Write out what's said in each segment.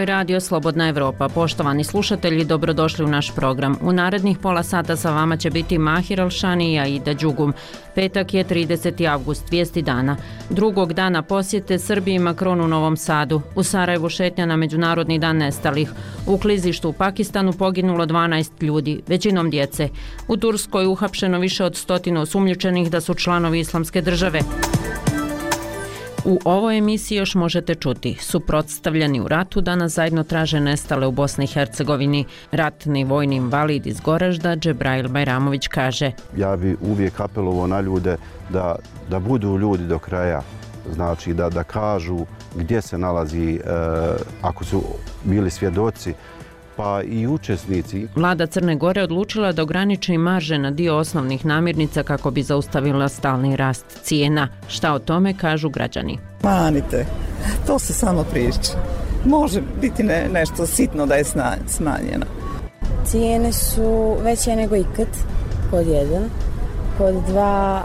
je Radio Slobodna Evropa. Poštovani slušatelji, dobrodošli u naš program. U narednih pola sata sa vama će biti Mahir Alšani i Aida Đugum. Petak je 30. avgust, vijesti dana. Drugog dana posjete Srbiji Macron u Novom Sadu. U Sarajevu šetnja na Međunarodni dan nestalih. U klizištu u Pakistanu poginulo 12 ljudi, većinom djece. U Turskoj uhapšeno više od 100 osumnjičenih da su članovi Islamske države. U ovoj emisiji još možete čuti: suprotstavljeni u ratu danas zajedno traže nestale u Bosni i Hercegovini. Ratni vojni invalid iz Goražda Džebrail Bajramović kaže: ja bi uvijek apelovao na ljude da budu ljudi do kraja, znači da kažu gdje se nalazi, ako su bili svjedoci, pa i učesnici. Vlada Crne Gore odlučila da ograniči marže na dio osnovnih namirnica kako bi zaustavila stalni rast cijena. Šta o tome kažu građani? Manite, to se samo priča. Može biti nešto sitno da je smanjeno. Cijene su veće nego ikad, pod jedan. Pod dva,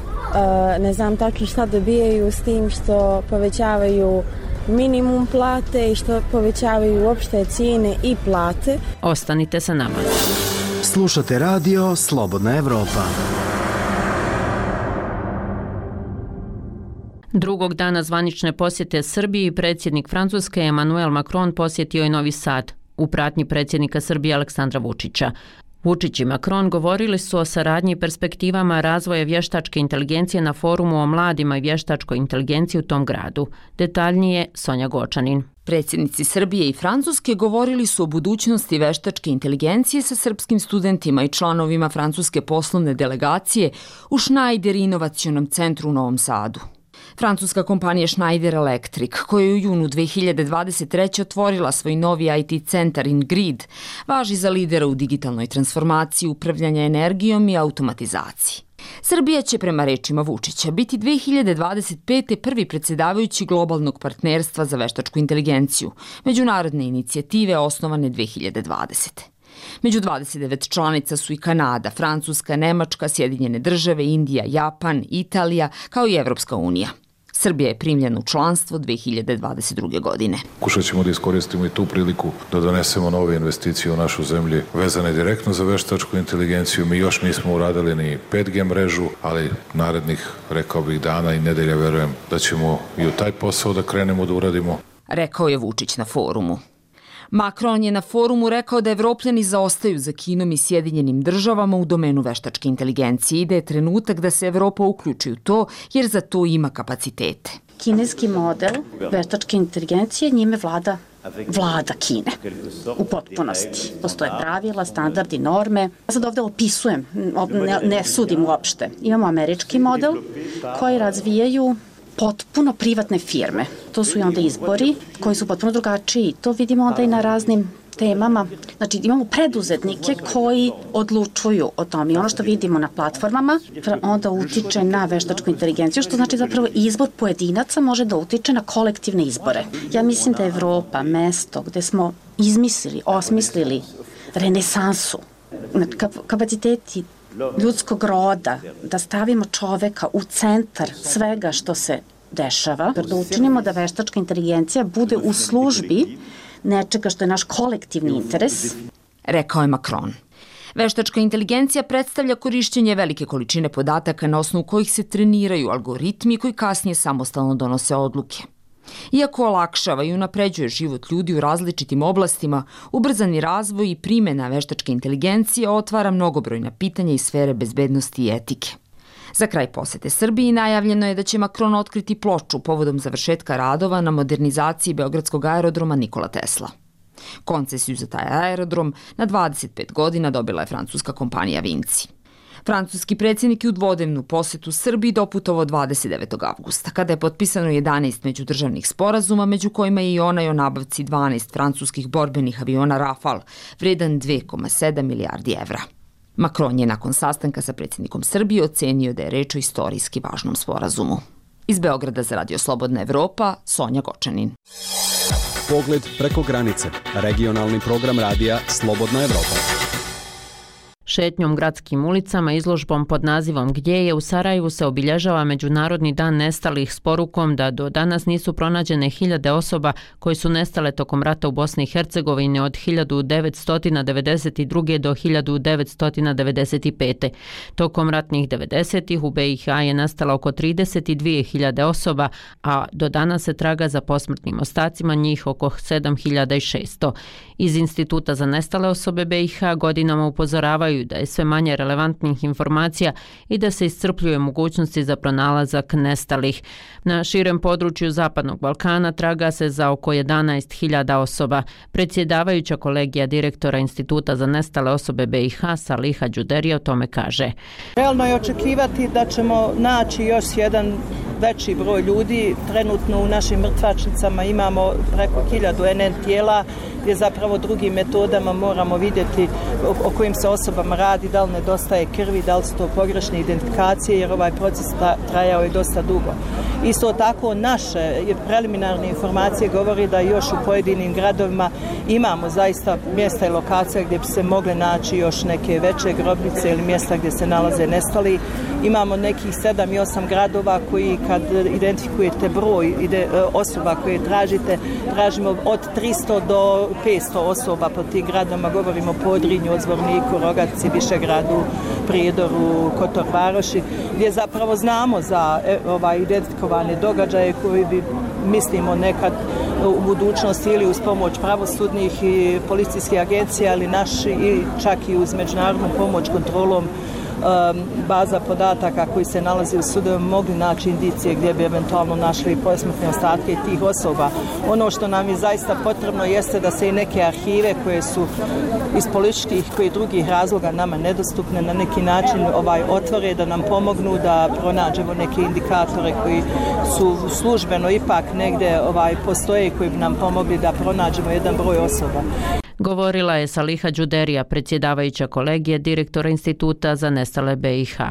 ne znam tačno šta dobijaju s tim što povećavaju minimum plate i što povećavaju uopšte cijene i plate. Ostanite sa nama. Slušate radio Slobodna Evropa. Drugog dana zvanične posjete Srbiji predsjednik Francuske Emmanuel Macron posjetio je Novi Sad u pratnji predsjednika Srbije Aleksandra Vučića. Vučić i Macron govorili su o saradnji i perspektivama razvoja vještačke inteligencije na forumu o mladima i vještačkoj inteligenciji u tom gradu. Detaljnije Sonja Gočanin. Predsjednici Srbije i Francuske govorili su o budućnosti veštačke inteligencije sa srpskim studentima i članovima francuske poslovne delegacije u Schneider inovacionom centru u Novom Sadu. Francuska kompanija Schneider Electric, koja je u junu 2023. otvorila svoj novi IT centar InGrid, važi za lidera u digitalnoj transformaciji, upravljanja energijom i automatizaciji. Srbija će, prema rečima Vučića, biti 2025. prvi predsjedavajući globalnog partnerstva za veštačku inteligenciju, međunarodne inicijative osnovane 2020. Među 29 članica su i Kanada, Francuska, Nemačka, Sjedinjene države, Indija, Japan, Italija, kao i Evropska unija. Srbija je primljena u članstvo 2022. godine. Pokušat ćemo da iskoristimo i tu priliku da donesemo nove investicije u našu zemlju vezane direktno za veštačku inteligenciju. Mi još nismo uradili ni 5G mrežu, ali narednih, rekao bih, dana i nedelja verujem da ćemo i u taj posao da krenemo da uradimo. Rekao je Vučić na forumu. Macron je na forumu rekao da Evropljani zaostaju za Kinom i Sjedinjenim državama u domenu veštačke inteligencije i da je trenutak da se Evropa uključi u to jer za to ima kapacitete. Kineski model veštačke inteligencije, njime vlada Kine u potpunosti. Postoje pravila, standardi, norme. Ja sad ovdje opisujem, ne sudim uopšte. Imamo američki model koji razvijaju potpuno privatne firme. To su i onda izbori koji su potpuno drugačiji. To vidimo onda i na raznim temama. Znači imamo preduzetnike koji odlučuju o tome. I ono što vidimo na platformama onda utiče na veštačku inteligenciju, što znači zapravo izbor pojedinaca može da utiče na kolektivne izbore. Ja mislim da je Evropa mesto gde smo izmislili, osmislili renesansu. Kapaciteti ljudskog roda, da stavimo čoveka u centar svega što se dešava, da učinimo da veštačka inteligencija bude u službi nečega što je naš kolektivni interes. Rekao je Macron. Veštačka inteligencija predstavlja korišćenje velike količine podataka na osnovu kojih se treniraju algoritmi koji kasnije samostalno donose odluke. Iako olakšava i unapređuje život ljudi u različitim oblastima, ubrzani razvoj i primjena veštačke inteligencije otvara mnogobrojna pitanja iz sfere bezbednosti i etike. Za kraj posete Srbiji najavljeno je da će Macron otkriti ploču povodom završetka radova na modernizaciji beogradskog aerodroma Nikola Tesla. Koncesiju za taj aerodrom na 25 godina dobila je francuska kompanija Vinci. Francuski predsjednik je u dvodnevnu posetu Srbiji doputovao 29. avgusta, kada je potpisano 11 međudržavnih sporazuma, među kojima je i onaj o nabavci 12 francuskih borbenih aviona Rafale, vredan 2,7 milijardi evra. Macron je nakon sastanka sa predsjednikom Srbije ocenio da je reč o istorijski važnom sporazumu. Iz Beograda za Radio Slobodna Evropa, Sonja Gočanin. Pogled preko granice. Regionalni program radija Slobodna Evropa. Šetnjom gradskim ulicama, izložbom pod nazivom Gdje je u Sarajevu se obilježava Međunarodni dan nestalih s porukom da do danas nisu pronađene hiljade osoba koji su nestale tokom rata u Bosni i Hercegovini od 1992. do 1995. Tokom ratnih 90-ih u BiH je nastalo oko 32.000 osoba, a do danas se traga za posmrtnim ostacima, njih oko 7.600. Iz Instituta za nestale osobe BiH godinama upozoravaju da je sve manje relevantnih informacija i da se iscrpljuje mogućnosti za pronalazak nestalih. Na širem području Zapadnog Balkana traga se za oko 11.000 osoba. Predsjedavajuća kolegija direktora Instituta za nestale osobe BiH Saliha Đuderija o tome kaže. Realno je očekivati da ćemo naći još jedan veći broj ljudi. Trenutno u našim mrtvačnicama imamo preko 1000 NN tijela gdje zapravo drugim metodama moramo vidjeti o kojim se osobama radi, da li nedostaje krvi, da li su to pogrešne identifikacije, jer ovaj proces trajao je dosta dugo. Isto tako naše preliminarne informacije govori da još u pojedinim gradovima imamo zaista mjesta i lokacije gdje bi se mogle naći još neke veće grobnice ili mjesta gdje se nalaze nestali. Imamo nekih 7 i 8 gradova koji kad identifikujete broj osoba koje tražite, tražimo od 300 do 500 osoba po tim gradama, govorimo o Podrinju, Odzvorniku, Rogatici, Višegradu, Prijedoru, Kotor Varoši, gdje zapravo znamo za identifikovane događaje koji bi, mislimo, nekad u budućnosti ili uz pomoć pravosudnih i policijskih agencija ili naši i čak i uz međunarodnu pomoć kontrolom baza podataka koji se nalazi u sudovima mogli naći indicije gdje bi eventualno našli posmrtne ostatke tih osoba. Ono što nam je zaista potrebno jeste da se i neke arhive koje su iz političkih i drugih razloga nama nedostupne na neki način otvore, da nam pomognu da pronađemo neke indikatore koji su službeno ipak negdje postoje i koji bi nam pomogli da pronađemo jedan broj osoba. Govorila je Saliha Đuderija, predsjedavajuća kolegije direktora Instituta za nestale BiH.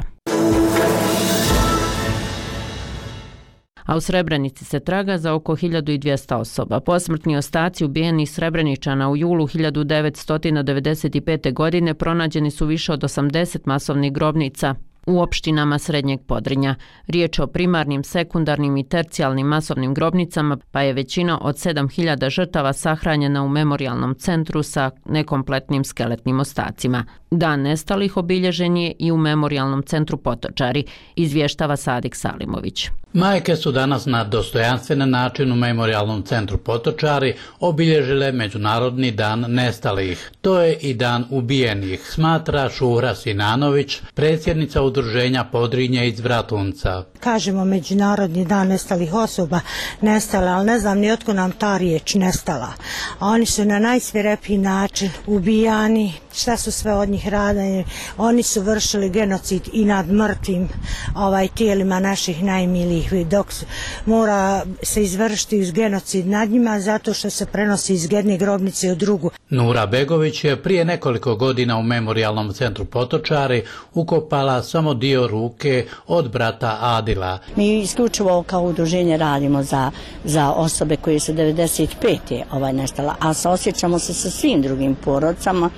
A u Srebrenici se traga za oko 1200 osoba. Posmrtni ostaci ubijenih Srebreničana u julu 1995. godine pronađeni su više od 80 masovnih grobnica u opštinama Srednjeg Podrinja. Riječ o primarnim, sekundarnim i tercijalnim masovnim grobnicama, pa je većina od 7000 žrtava sahranjena u memorijalnom centru sa nekompletnim skeletnim ostacima. Dan nestalih obilježen je i u memorijalnom centru Potočari, izvještava Sadik Salimović. Majke su danas na dostojanstven način u memorijalnom centru Potočari obilježile Međunarodni dan nestalih. To je i dan ubijenih, smatra Šura Sinanović, predsjednica udruženja Podrinje iz Bratunca. Kažemo Međunarodni dan nestalih osoba, nestale, ali ne znam ni otko nam ta riječ nestala. A oni su na najsvirepiji način ubijani, šta su sve od njih radili. Oni su vršili genocid i nad mrtvim tijelima naših najmilijih, dok mora se izvršiti genocid nad njima zato što se prenosi iz jedne grobnice u drugu. Nura Begović je prije nekoliko godina u memorijalnom centru Potočari ukopala samo dio ruke od brata Adila. Mi isključivo kao udruženje radimo za osobe koje su 95. nestala, a osjećamo se sa svim drugim porodcama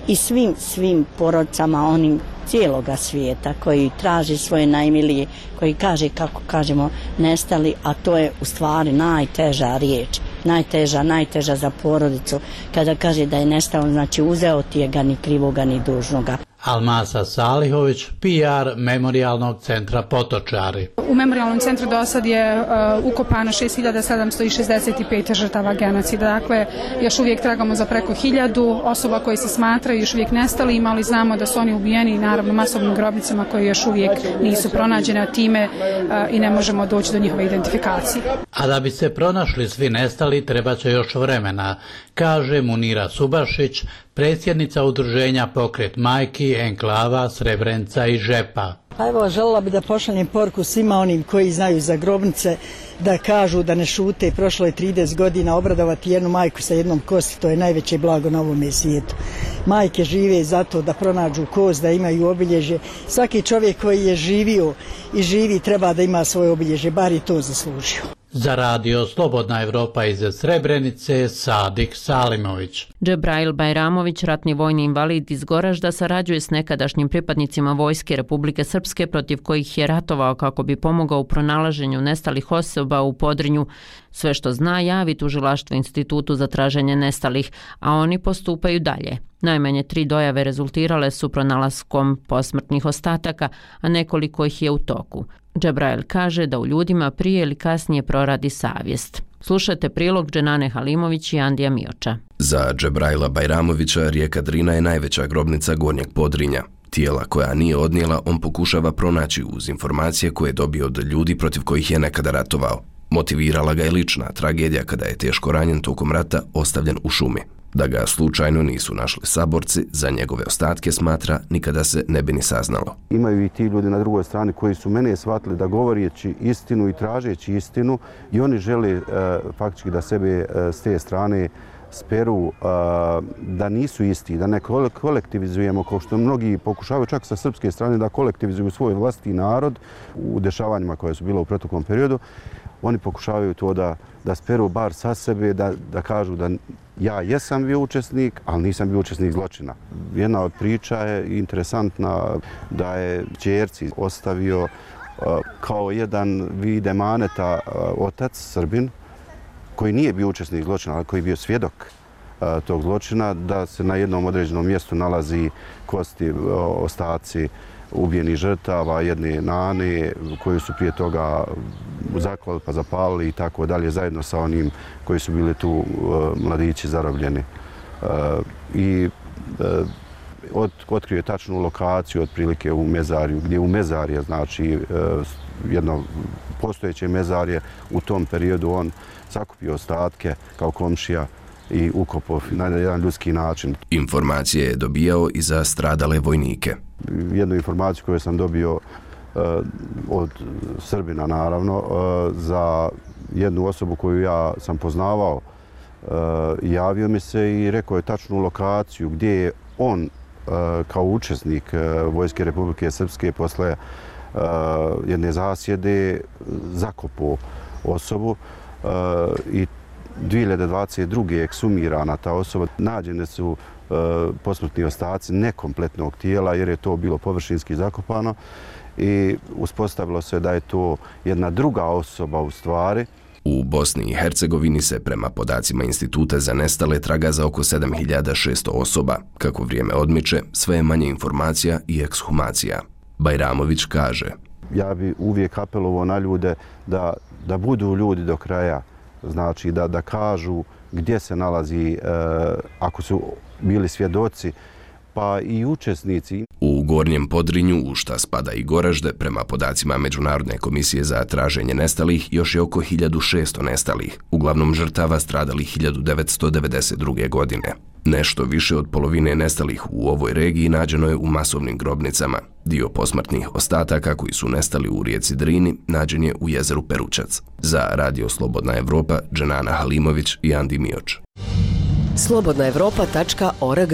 i svim porodcama onim cijeloga svijeta koji traži svoje najmilije, koji kaže, kako kažemo, nestali, a to je u stvari najteža riječ. Najteža za porodicu. Kada kaže da je nestao, znači uzeo ti je ga ni krivoga ni dužnoga. Almasa Salihović, PR memorijalnog centra Potočari. U memorijalnom centru do sad je ukopano 6765 žrtava genocida. Dakle, još uvijek tragamo za preko 1000 osoba koji se smatraju još uvijek nestali, ali znamo da su oni ubijeni naravno masovnim grobnicama koje još uvijek nisu pronađene, a time i ne možemo doći do njihove identifikacije. A da bi se pronašli svi nestali, treba će još vremena, kaže Munira Subašić, predsjednica udruženja Pokret majki, Enklava, Srebrenica i Žepa. Pa evo, željela bi da pošaljem poruku svima onim koji znaju za grobnice, da kažu da ne šute. Prošlo je 30 godina, obradovati jednu majku sa jednom kosti, to je najveće blago na ovome svijetu. Majke žive zato da pronađu kost, da imaju obilježje. Svaki čovjek koji je živio i živi treba da ima svoje obilježje, bar i to zaslužio. Za radio Slobodna Evropa iz Srebrenice, Sadik Salimović. Džebrail Bajramović, ratni vojni invalid iz Goražda, sarađuje s nekadašnjim pripadnicima Vojske Republike Srpske protiv kojih je ratovao kako bi pomogao u pronalaženju nestalih osoba u Podrinju. Sve što zna javi tužilaštvo Institutu za traženje nestalih, a oni postupaju dalje. Najmanje 3 dojave rezultirale su pronalaskom posmrtnih ostataka, a nekoliko ih je u toku. Džebrail kaže da u ljudima prije ili kasnije proradi savjest. Slušajte prilog Dženane Halimović i Andija Mioča. Za Džebraila Bajramovića rijeka Drina je najveća grobnica Gornjeg Podrinja. Tijela koja nije odnijela on pokušava pronaći uz informacije koje je dobio od ljudi protiv kojih je nekada ratovao. Motivirala ga je lična tragedija kada je teško ranjen tokom rata ostavljen u šumi. Da ga slučajno nisu našli saborci, za njegove ostatke smatra nikada se ne bi ni saznalo. Imaju i ti ljudi na drugoj strani koji su mene shvatili da govoreći istinu i tražeći istinu i oni žele faktički da sebe s te strane speru, da nisu isti, da ne kolektivizujemo kao što mnogi pokušavaju čak sa srpske strane da kolektivizuju svoj vlastiti narod u dešavanjima koje su bila u proteklom periodu. Oni pokušavaju to da speru bar sa sebe, da kažu da ja jesam bio učesnik, ali nisam bio učesnik zločina. Jedna od priča je interesantna da je ćerci ostavio kao jedan vid emaneta otac Srbin, koji nije bio učesnik zločina, ali koji je bio svjedok tog zločina, da se na jednom određenom mjestu nalazi kosti, ostaci ubijenih žrtava, jedne nane koju su prije toga zaklali pa zapalili i tako dalje, zajedno sa onim koji su bili tu mladići zarobljeni. I otkrio je tačnu lokaciju otprilike u mezarju, gdje u mezarje, znači jedno postojeće mezarje, u tom periodu on sakupio ostatke kao komšija i ukopao na jedan ljudski način. Informacije je dobijao i za stradale vojnike. Jednu informaciju koju sam dobio od Srbina, naravno, za jednu osobu koju ja sam poznavao, javio mi se i rekao je tačnu lokaciju gdje je on kao učesnik Vojske Republike Srpske posle jedne zasjede zakopao osobu i 2022. je eksumirana ta osoba. Nađene su posmrtni ostaci nekompletnog tijela jer je to bilo površinski zakopano i uspostavilo se da je to jedna druga osoba u stvari. U Bosni i Hercegovini se prema podacima Instituta za nestale traga za oko 7600 osoba. Kako vrijeme odmiče, sve je manje informacija i ekshumacija. Bajramović kaže: Ja bi uvijek apelovao na ljude da budu ljudi do kraja. Znači da kažu gdje se nalazi, ako su bili svjedoci, pa i učesnici. U Gornjem Podrinju, u šta spada i Goražde, prema podacima Međunarodne komisije za traženje nestalih, još je oko 1600 nestalih, uglavnom žrtava stradalih 1992. godine. Nešto više od polovine nestalih u ovoj regiji nađeno je u masovnim grobnicama. Dio posmrtnih ostataka koji su nestali u rijeci Drini nađen je u jezeru Peručac. Za Radio Slobodna Evropa, Dženana Halimović i Andi Mioč. slobodnaevropa.org.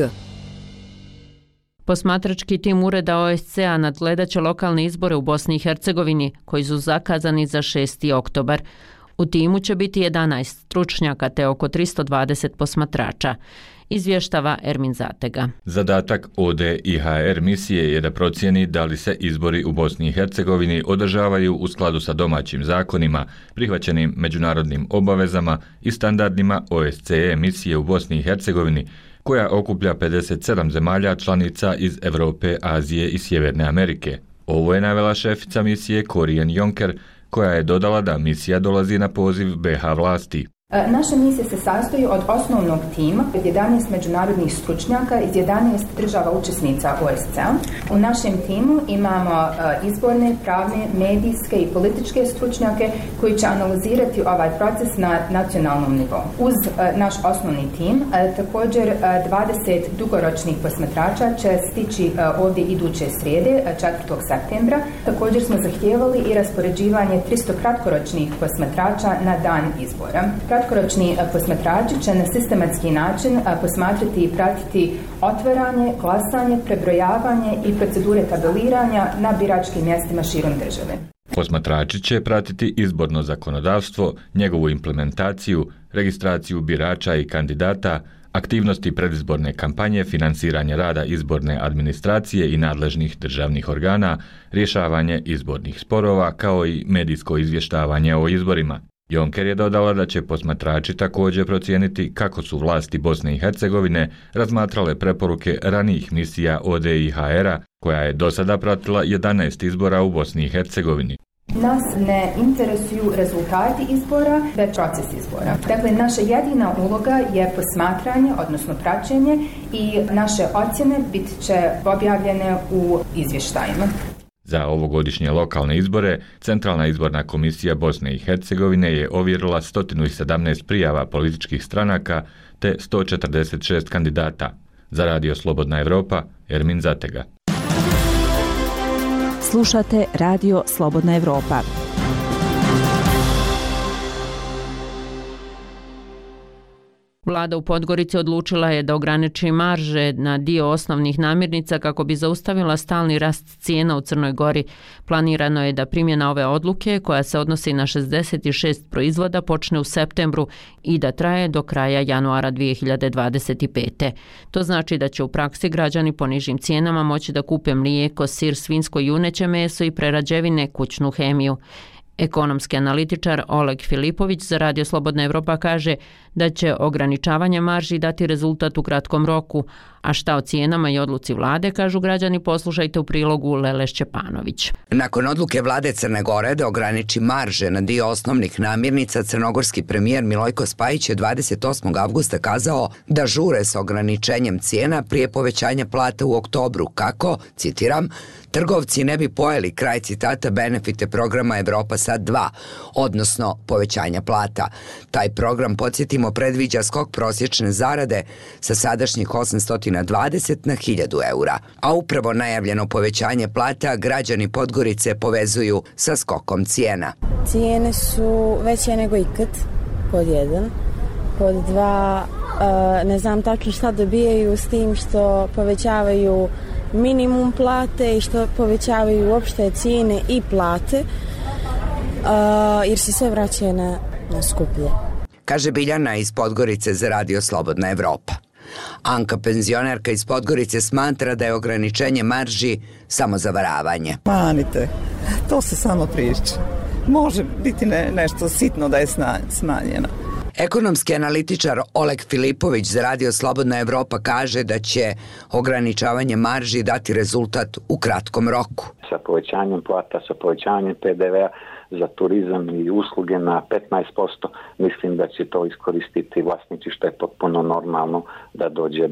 Posmatrački tim Ureda OSCE-a nadgledaće lokalne izbore u Bosni i Hercegovini, koji su zakazani za 6. oktobar. U timu će biti 11 stručnjaka te oko 320 posmatrača. Izvještava Ermin Zatega. Zadatak ODIHR misije je da procijeni da li se izbori u Bosni i Hercegovini održavaju u skladu sa domaćim zakonima, prihvaćenim međunarodnim obavezama i standardima OSCE misije u Bosni i Hercegovini, koja okuplja 57 zemalja članica iz Evrope, Azije i Sjeverne Amerike. Ovo je navela šefica misije Korijen Jonker, koja je dodala da misija dolazi na poziv BiH vlasti. Naša misija se sastoji od osnovnog tima od 11 međunarodnih stručnjaka iz 11 država učesnica OSCE-a. U našem timu imamo izborne, pravne, medijske i političke stručnjake koji će analizirati ovaj proces na nacionalnom nivou. Uz naš osnovni tim, također 20 dugoročnih posmatrača će stići ovdje iduće srijede, 4. septembra. Također smo zahtijevali i raspoređivanje 300 kratkoročnih posmatrača na dan izbora. Kratkoročni posmatrači će na sistematski način posmatrati i pratiti otvaranje, glasanje, prebrojavanje i procedure tabeliranja na biračkim mjestima širom države. Posmatrači će pratiti izborno zakonodavstvo, njegovu implementaciju, registraciju birača i kandidata, aktivnosti predizborne kampanje, finansiranje rada izborne administracije i nadležnih državnih organa, rješavanje izbornih sporova kao i medijsko izvještavanje o izborima. Jonker je dodala da će posmatrači također procijeniti kako su vlasti Bosne i Hercegovine razmatrale preporuke ranijih misija ODIHR-a, koja je do sada pratila 11 izbora u Bosni i Hercegovini. Nas ne interesuju rezultati izbora, već proces izbora. Dakle, naša jedina uloga je posmatranje, odnosno praćenje, i naše ocjene bit će objavljene u izvještajima. Za ovogodišnje lokalne izbore, Centralna izborna komisija Bosne i Hercegovine je ovjerila 117 prijava političkih stranaka te 146 kandidata. Za Radio Slobodna Evropa, Ermin Zatega. Slušate Radio Slobodna Evropa. Vlada u Podgorici odlučila je da ograniči marže na dio osnovnih namirnica kako bi zaustavila stalni rast cijena u Crnoj Gori. Planirano je da primjena ove odluke, koja se odnosi na 66 proizvoda, počne u septembru i da traje do kraja januara 2025. To znači da će u praksi građani po nižim cijenama moći da kupe mlijeko, sir, svinjsko i juneće meso i prerađevine, kućnu hemiju. Ekonomski analitičar Oleg Filipović za Radio Slobodna Evropa kaže da će ograničavanje marži dati rezultat u kratkom roku, a šta o cijenama i odluci vlade, kažu građani, poslušajte u prilogu Lele Šćepanović. Nakon odluke vlade Crne Gore da ograniči marže na dio osnovnih namirnica, crnogorski premijer Milojko Spajić je 28. avgusta kazao da žure sa ograničenjem cijena prije povećanja plata u oktobru kako, citiram, trgovci ne bi pojeli, kraj citata, benefite programa Evropa Sad 2, odnosno povećanja plata. Taj program, podsjetimo, predviđa skok prosječne zarade sa sadašnjih 820 na 1000 eura, a upravo najavljeno povećanje plata građani Podgorice povezuju sa skokom cijena. Cijene su veće nego ikad, pod jedan. Pod dva, ne znam tačno šta dobijaju s tim što povećavaju minimum plate i što povećavaju uopšte cijene i plate, jer se sve vraća na skuplje. Kaže Biljana iz Podgorice za Radio Slobodna Evropa. Anka, penzionerka iz Podgorice, smatra da je ograničenje marži samo zavaravanje. Manite, to se samo priča. Može biti nešto sitno da je smanjeno. Ekonomski analitičar Oleg Filipović za Radio Slobodna Evropa kaže da će ograničavanje marži dati rezultat u kratkom roku. Sa povećanjem plata, sa povećanjem PDV-a za turizam i usluge na 15%, mislim da će to iskoristiti vlasnici, što je potpuno normalno da dođe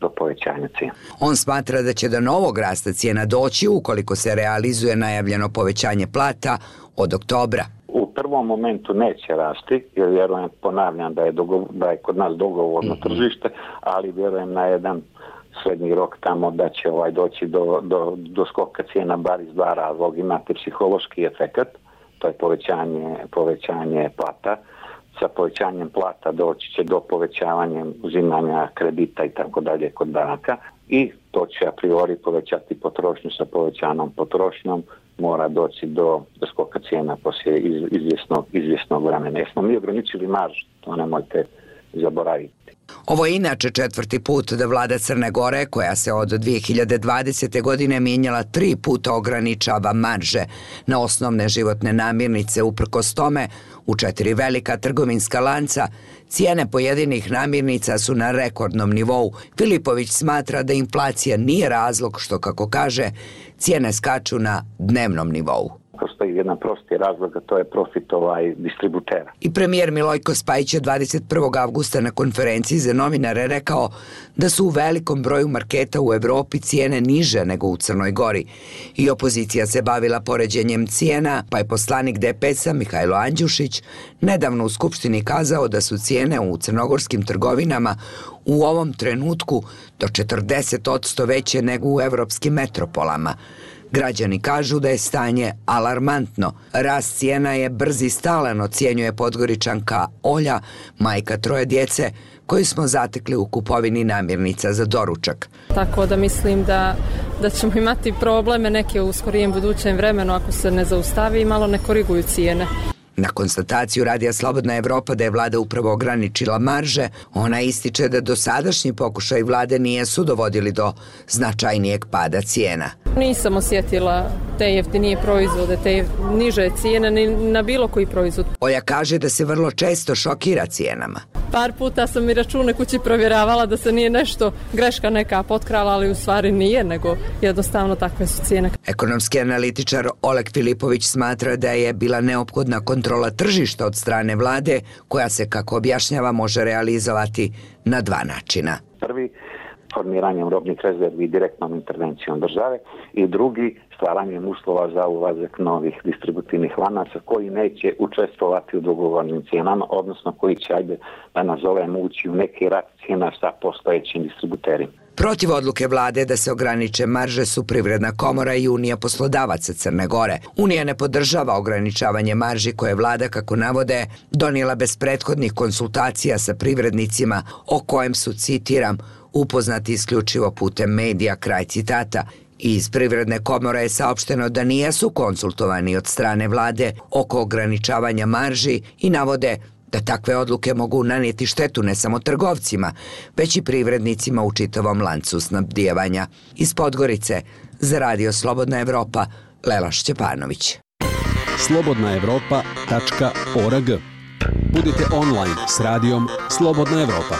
do povećanja cijena. On smatra da će do novog rasta cijena doći ukoliko se realizuje najavljeno povećanje plata od oktobra. U prvom momentu neće rasti, jer vjerujem, ponavljam, da je kod nas dogovorno tržište, ali vjerujem na jedan srednji rok tamo da će doći do skoka cijena bar iz dva razloga. Imate psihološki efekat, to je povećanje plata. Sa povećanjem plata doći će do povećavanja uzimanja kredita i tako dalje kod banaka i to će a priori povećati potrošnju. Sa povećanom potrošnjom mora doći do skoka cijena poslije izvjesnog vremena. Jesmo mi ograničili maržu, to nemojte zaboraviti. Ovo je inače četvrti put da vlada Crne Gore, koja se od 2020. godine mijenjala 3 puta, ograničava marže na osnovne životne namirnice. Uprkos tome, u 4 velika trgovinska lanca cijene pojedinih namirnica su na rekordnom nivou. Filipović smatra da inflacija nije razlog što, kako kaže, cijene skaču na dnevnom nivou. Postoji jedan prosti razlog, a to je profit distributera. I premijer Milojko Spajić je 21. avgusta na konferenciji za novinare rekao da su u velikom broju marketa u Evropi cijene niže nego u Crnoj Gori. I opozicija se bavila poređenjem cijena, pa je poslanik DPS-a Mihajlo Andjušić nedavno u Skupštini kazao da su cijene u crnogorskim trgovinama u ovom trenutku do 40% veće nego u evropskim metropolama. Građani kažu da je stanje alarmantno. Rast cijena je brz i stalan, ocjenjuje Podgoričanka Olja, majka 3 djece, koju smo zatekli u kupovini namirnica za doručak. Tako da mislim da ćemo imati probleme neke u skorijem budućem vremenu ako se ne zaustavi i malo ne koriguju cijene. Na konstataciju Radija Slobodna Evropa da je vlada upravo ograničila marže, ona ističe da dosadašnji pokušaj vlade nijesu dovodili do značajnijeg pada cijena. Nisam osjetila te jeftinije proizvode, te niže cijene ni na bilo koji proizvod. Olja kaže da se vrlo često šokira cijenama. Par puta sam i račune kući provjeravala da se nije nešto greška neka potkrala, ali u stvari nije, nego jednostavno takve su cijene. Ekonomski analitičar Oleg Filipović smatra da je bila neophodna kontrola tržišta od strane vlade, koja se, kako objašnjava, može realizovati na 2 načina. Prvi, formiranjem robnih rezervi direktnom intervencijom države, i drugi, stvaranjem uslova za ulazak novih distributivnih lanaca koji neće učestvovati u dogovornim cijenama, odnosno koji će, da nazovemo, ući u neki rat cijena sa postojećim distributerima. Protiv odluke vlade da se ograniče marže su Privredna komora i Unija poslodavaca Crne Gore. Unija ne podržava ograničavanje marži koje je vlada, kako navode, donijela bez prethodnih konsultacija sa privrednicima, o kojem su, citiram, upoznati isključivo putem medija, kraj citata. Iz Privredne komore je saopšteno da nijesu konsultovani od strane vlade oko ograničavanja marži i navode da takve odluke mogu nanijeti štetu ne samo trgovcima, već i privrednicima u čitavom lancu snabdijevanja. Iz Podgorice, za Radio Slobodna Evropa, Lela Šćepanović. slobodnaevropa.org. Budite online s radijom Slobodna Evropa.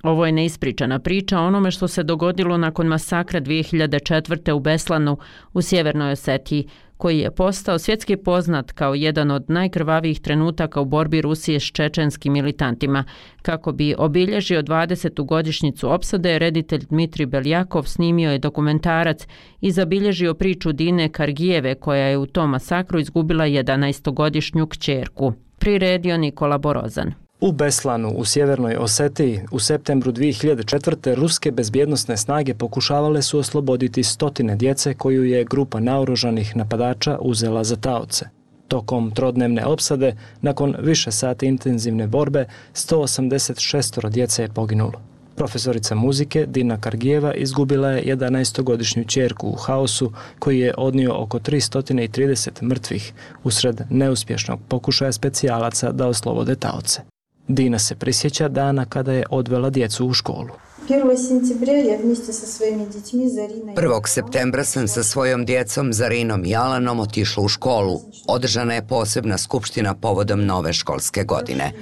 Ovo je neispričana priča o onome što se dogodilo nakon masakra 2004. u Beslanu u Sjevernoj Osetiji, koji je postao svjetski poznat kao jedan od najkrvavijih trenutaka u borbi Rusije s čečenskim militantima. Kako bi obilježio 20. godišnjicu opsade, reditelj Dmitrij Beljakov snimio je dokumentarac i zabilježio priču Dine Kargijeve, koja je u tom masakru izgubila 11-godišnju kćerku. Priredio Nikola Borozan. U Beslanu, u Sjevernoj Osetiji, u septembru 2004. ruske bezbjednosne snage pokušavale su osloboditi 100 djece koju je grupa naoružanih napadača uzela za taoce. Tokom trodnevne opsade, nakon više sati intenzivne borbe, 186 djece je poginulo. Profesorica muzike Dina Kargijeva izgubila je 11-godišnju ćerku u haosu koji je odnio oko 330 mrtvih usred neuspješnog pokušaja specijalaca da oslobode taoce. Dina se prisjeća dana kada je odvela djecu u školu. 1. septembra sam sa svojom djecom Zarinom i Alanom otišla u školu. Održana je posebna skupština povodom nove školske godine.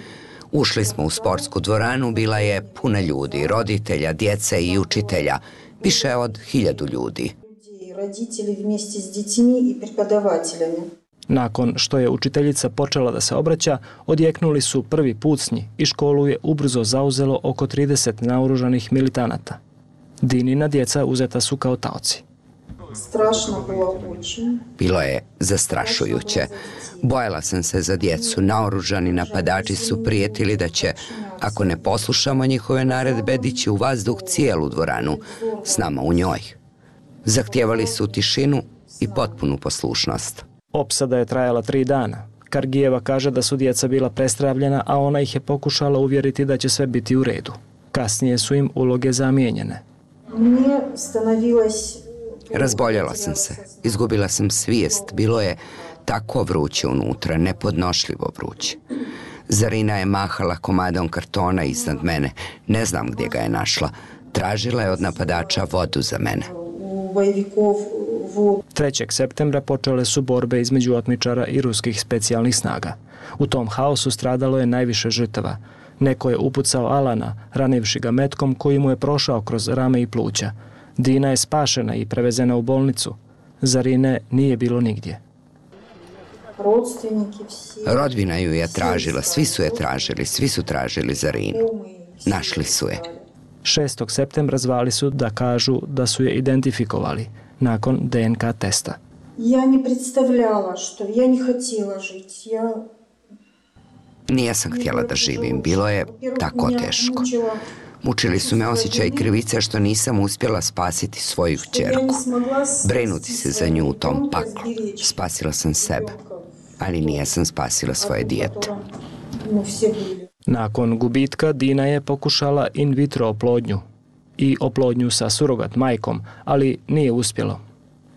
Ušli smo u sportsku dvoranu, bila je puna ljudi, roditelja, djece i učitelja, više od 1000 ljudi. Nakon što je učiteljica počela da se obraća, odjeknuli su prvi pucnji i školu je ubrzo zauzelo oko 30 naoružanih militanata. Dinina djeca uzeta su kao taoci. Bilo je zastrašujuće. Bojala sam se za djecu. Naoružani napadači su prijetili da će, ako ne poslušamo njihove naredbe, dići u vazduh cijelu dvoranu, s nama u njoj. Zahtijevali su tišinu i potpunu poslušnost. Opsada je trajala 3 dana. Kargijeva kaže da su djeca bila prestravljena, a ona ih je pokušala uvjeriti da će sve biti u redu. Kasnije su im uloge zamijenjene. Razboljela sam se. Izgubila sam svijest. Bilo je tako vruće unutra, nepodnošljivo vruće. Zarina je mahala komadom kartona iznad mene. Ne znam gdje ga je našla. Tražila je od napadača vodu za mene. 3. septembra počele su borbe između otmičara i ruskih specijalnih snaga. U tom haosu stradalo je najviše žrtava. Neko je upucao Alana, ranivši ga metkom koji mu je prošao kroz rame i pluća. Dina je spašena i prevezena u bolnicu. Zarine nije bilo nigdje. Rodbina ju je tražila, svi su je tražili, svi su tražili Zarinu. Našli su je. 6. septembra zvali su da kažu da su je identifikovali nakon DNK testa. Nisam htjela da živim, bilo je tako teško. Mučili su me osjećaj i krivice što nisam uspjela spasiti svoju kćerku. Brinuti se za nju u tom paklu. Spasila sam sebe, ali nijesam spasila svoje dijete. Nakon gubitka Dina je pokušala in vitro oplodnju i oplodnju sa surogat majkom, ali nije uspjelo.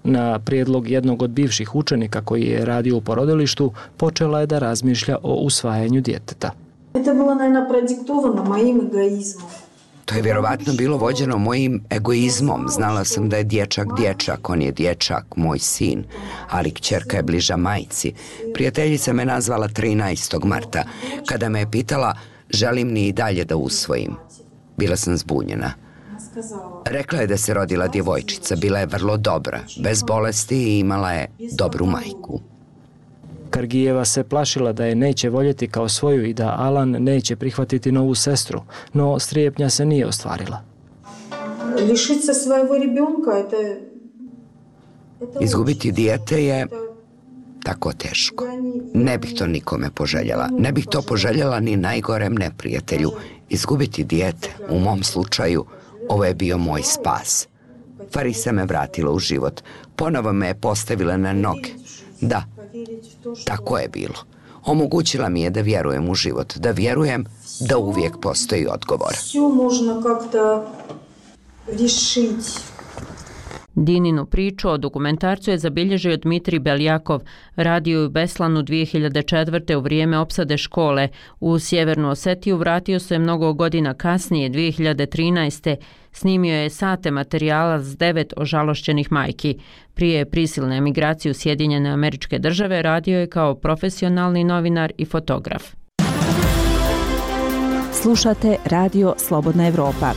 Na prijedlog jednog od bivših učenika koji je radio u porodilištu, počela je da razmišlja o usvajanju djeteta. To je vjerovatno bilo vođeno mojim egoizmom. Znala sam da je dječak dječak, on je dječak, moj sin, ali kćerka je bliža majci. Prijateljica me nazvala 13. marta, kada me je pitala želim li i dalje da usvojim. Bila sam zbunjena. Rekla je da se rodila djevojčica, bila je vrlo dobra, bez bolesti i imala je dobru majku. Kargijeva se plašila da je neće voljeti kao svoju i da Alan neće prihvatiti novu sestru, no strepnja se nije ostvarila. Izgubiti dijete je tako teško. Ne bih to nikome poželjela. Ne bih to poželjela ni najgorem neprijatelju. Izgubiti dijete, u mom slučaju, ovo je bio moj spas. Farisa me vratila u život. Ponovo me je postavila na noge. Da, tako je bilo. Omogućila mi je da vjerujem u život, da vjerujem da uvijek postoji odgovor. Dininu priču o dokumentarcu je zabilježio Dmitrij Beljakov, radio u Beslanu 2004. u vrijeme opsade škole. U Sjevernu Osetiju vratio se mnogo godina kasnije, 2013. Snimio je sate materijala s 9 ožalošćenih majki. Prije prisilne emigracije u Sjedinjene Američke Države radio je kao profesionalni novinar i fotograf. Slušate Radio Slobodna Evropa.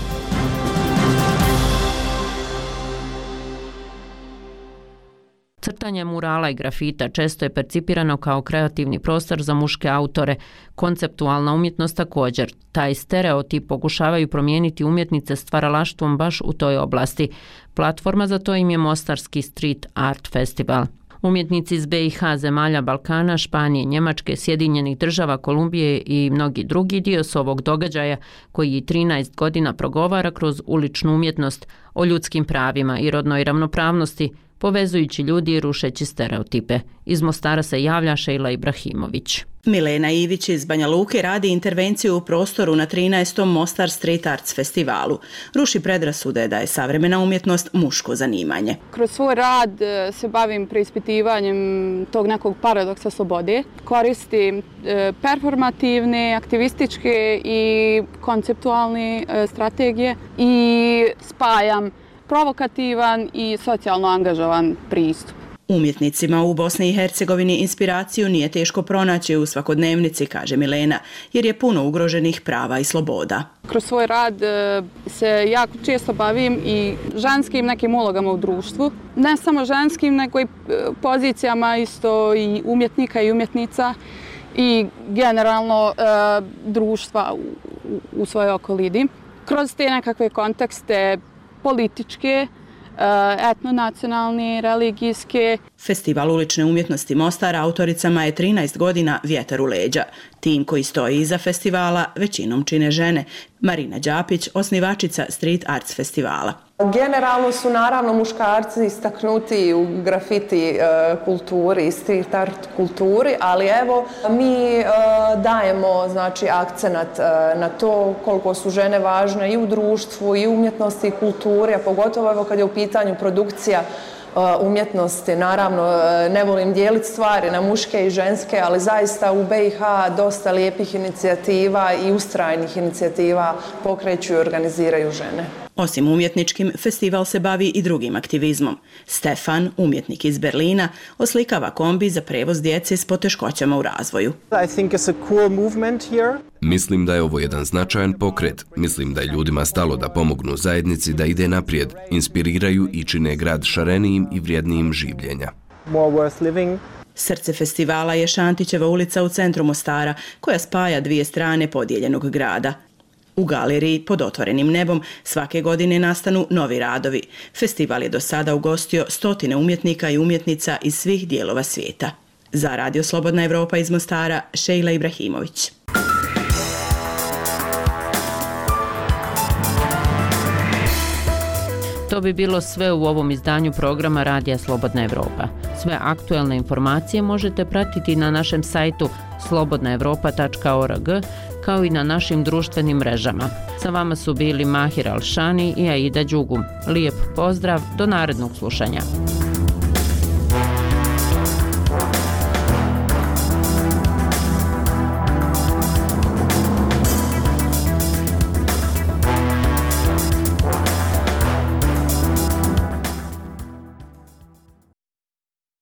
Crtanje murala i grafita često je percipirano kao kreativni prostor za muške autore. Konceptualna umjetnost također. Taj stereotip pokušavaju promijeniti umjetnice stvaralaštvom baš u toj oblasti. Platforma za to im je Mostarski Street Art Festival. Umjetnici iz BiH, zemalja Balkana, Španije, Njemačke, Sjedinjenih Država, Kolumbije i mnogi drugi dio su ovog događaja koji 13 godina progovara kroz uličnu umjetnost o ljudskim pravima i rodnoj ravnopravnosti, povezujući ljudi i rušeći stereotipe. Iz Mostara se javlja Šejla Ibrahimović. Milena Ivić iz Banja Luke radi intervenciju u prostoru na 13. Mostar Street Arts festivalu. Ruši predrasude da je savremena umjetnost muško zanimanje. Kroz svoj rad se bavim preispitivanjem tog nekog paradoksa slobode. Koristim performativne, aktivističke i konceptualne strategije i spajam provokativan i socijalno angažovan pristup. Umjetnicima u Bosni i Hercegovini inspiraciju nije teško pronaći u svakodnevnici, kaže Milena, jer je puno ugroženih prava i sloboda. Kroz svoj rad se jako često bavim i ženskim nekim ulogama u društvu. Ne samo ženskim, nego i pozicijama isto i umjetnika i umjetnica i generalno društva u svojoj okolini. Kroz te nekakve kontekste političke, etnonacionalne, religijske. Festival ulične umjetnosti Mostar autoricama je 13 godina vjetar u leđa. Tim koji stoji iza festivala većinom čine žene. Marina Đapić, osnivačica Street Arts festivala. Generalno su naravno muškarci istaknuti u grafiti kulturi i street art kulturi, ali evo mi dajemo znači akcenat na to koliko su žene važne i u društvu i u umjetnosti i kulturi, a pogotovo evo kad je u pitanju produkcija umjetnosti. Naravno, ne volim dijeliti stvari na muške i ženske, ali zaista u BiH dosta lijepih inicijativa i ustrajnih inicijativa pokreću i organiziraju žene. Osim umjetničkim, festival se bavi i drugim aktivizmom. Stefan, umjetnik iz Berlina, oslikava kombi za prevoz djece s poteškoćama u razvoju. Mislim da je ovo jedan značajan pokret. Mislim da je ljudima stalo da pomognu zajednici da ide naprijed, inspiriraju i čine grad šarenijim i vrijednijim življenja. Srce festivala je Šantićeva ulica u centru Mostara, koja spaja dvije strane podijeljenog grada. U galeriji pod otvorenim nebom svake godine nastanu novi radovi. Festival je do sada ugostio stotine umjetnika i umjetnica iz svih dijelova svijeta. Za Radio Slobodna Evropa iz Mostara, Šejla Ibrahimović. To bi bilo sve u ovom izdanju programa Radija Slobodna Evropa. Sve aktuelne informacije možete pratiti na našem sajtu slobodnaevropa.org kao i na našim društvenim mrežama. Sa vama su bili Mahir Alšani i Aida Đugum. Lijep pozdrav, do narednog slušanja.